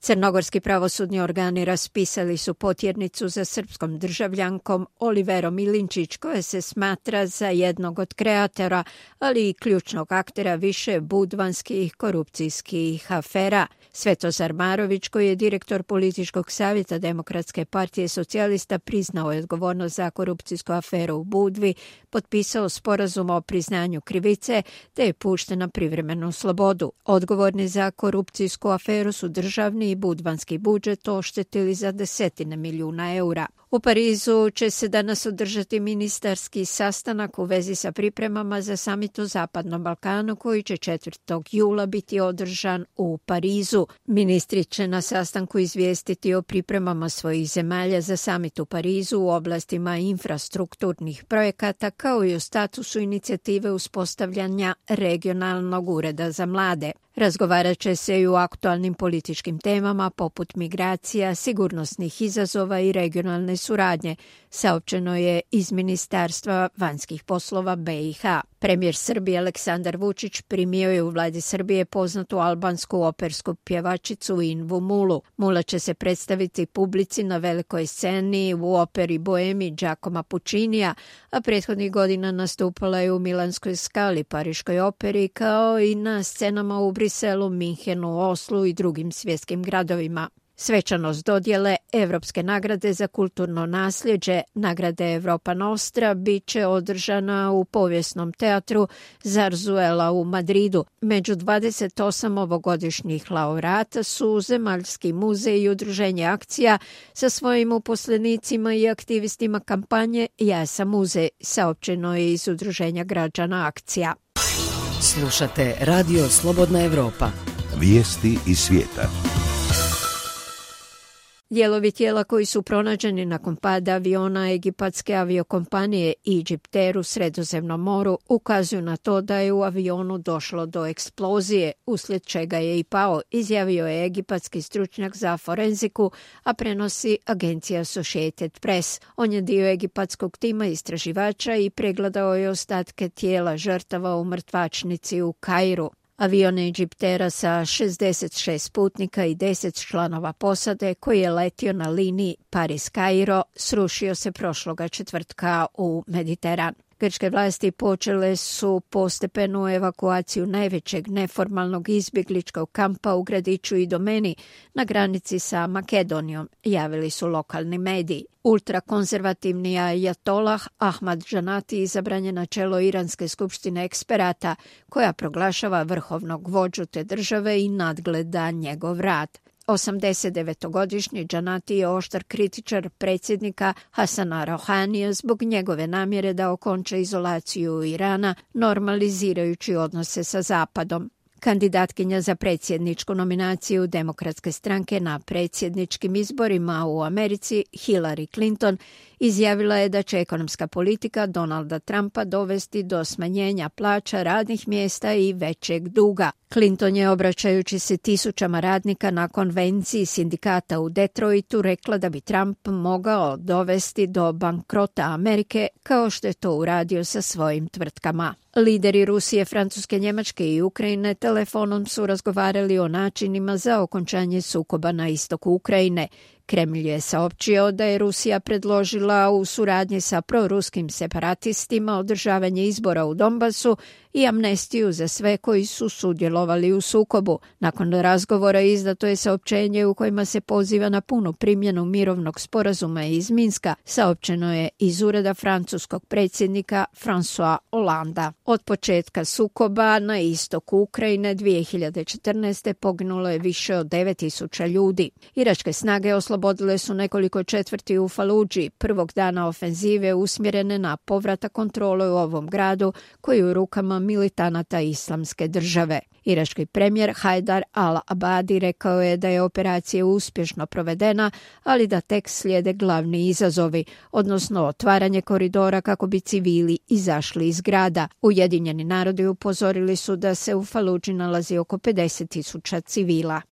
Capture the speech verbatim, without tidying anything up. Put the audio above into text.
Crnogorski pravosudni organi raspisali su potjernicu za srpskom državljankom Oliverom Milinčić, koja se smatra za jednog od kreatora, ali i ključnog aktera više budvanskih korupcijskih afera. Svetozar Marović, koji je direktor političkog savjeta Demokratske partije socijalista, priznao je odgovornost za korupcijsku aferu u Budvi, potpisao sporazum o priznanju krivice te je pušten na privremenu slobodu. Odgovorni za korupcijsku aferu su državni i budvanski budžet oštetili za desetine milijuna eura. U Parizu će se danas održati ministarski sastanak u vezi sa pripremama za samit o Zapadnom Balkanu koji će četvrtog jula biti održan u Parizu. Ministri će na sastanku izvijestiti o pripremama svojih zemalja za samit u Parizu u oblastima infrastrukturnih projekata kao i o statusu inicijative uspostavljanja regionalnog ureda za mlade. Razgovarat će se i o aktualnim političkim temama poput migracija, sigurnosnih izazova i regionalne suradnje, saopćeno je iz Ministarstva vanjskih poslova be i ha. Premijer Srbije Aleksandar Vučić primio je u vladi Srbije poznatu albansku opersku pjevačicu Invu Mulu. Mula će se predstaviti publici na velikoj sceni u operi Boemi Giacomo Puccinija, a prethodnih godina nastupala je u Milanskoj Skali, Pariškoj operi, kao i na scenama u Briselu, Minhenu, Oslu i drugim svjetskim gradovima. Svečanost dodjele Evropske nagrade za kulturno nasljeđe, nagrade Europa Nostra, bit će održana u povijesnom teatru Zarzuela u Madridu. Među dvadeset osam ovogodišnjih laureata su Zemaljski muzej i udruženje Akcija sa svojim uposlenicima i aktivistima kampanje Ja sam muzej, saopćeno je iz udruženja građana Akcija. Slušate Radio Slobodna Evropa. Vijesti iz svijeta. Dijelovi tijela koji su pronađeni nakon pada aviona egipatske aviokompanije Egyptair u Sredozemnom moru ukazuju na to da je u avionu došlo do eksplozije, uslijed čega je i pao, izjavio je egipatski stručnjak za forenziku, a prenosi agencija Associated Press. On je dio egipatskog tima istraživača i pregledao je ostatke tijela žrtava u mrtvačnici u Kairu. Avion Egyptaira sa šezdeset šest putnika i deset članova posade koji je letio na liniji Paris-Kairo srušio se prošloga četvrtka u Mediteran. Grčke vlasti počele su postepenu evakuaciju najvećeg neformalnog izbjegličkog kampa u gradiću Idomeni na granici sa Makedonijom, javili su lokalni mediji. Ultrakonzervativni ajatolah Ahmad Džanati izabran je na čelo Iranske skupštine eksperata koja proglašava vrhovnog vođu te države i nadgleda njegov rad. osamdesetdevetogodišnji Džanati je oštar kritičar predsjednika Hasana Rouhanija zbog njegove namjere da okonča izolaciju Irana, normalizirajući odnose sa Zapadom. Kandidatkinja za predsjedničku nominaciju Demokratske stranke na predsjedničkim izborima u Americi, Hillary Clinton, izjavila je da će ekonomska politika Donalda Trumpa dovesti do smanjenja plaća, radnih mjesta i većeg duga. Clinton je, obraćajući se tisućama radnika na konvenciji sindikata u Detroitu, rekla da bi Trump mogao dovesti do bankrota Amerike kao što je to uradio sa svojim tvrtkama. Lideri Rusije, Francuske, Njemačke i Ukrajine telefonom su razgovarali o načinima za okončanje sukoba na istoku Ukrajine. Kremlj je saopćio da je Rusija predložila u suradnji sa proruskim separatistima održavanje izbora u Donbasu i amnestiju za sve koji su sudjelovali u sukobu. Nakon razgovora izdato je saopćenje u kojima se poziva na punu primjenu mirovnog sporazuma iz Minska, saopćeno je iz ureda francuskog predsjednika François Hollanda. Od početka sukoba na istoku Ukrajine dvije hiljade četrnaeste. poginulo je više od devet tisuća ljudi. Iračke snage oslobodile su nekoliko četvrti u Faludži, prvog dana ofenzive usmjerene na povratak kontrole u ovom gradu koji je u rukama militanata Islamske države. Irački premijer Hajdar al-Abadi rekao je da je operacija uspješno provedena, ali da tek slijede glavni izazovi, odnosno otvaranje koridora kako bi civili izašli iz grada. Ujedinjeni narodi upozorili su da se u Faludži nalazi oko pedeset tisuća civila.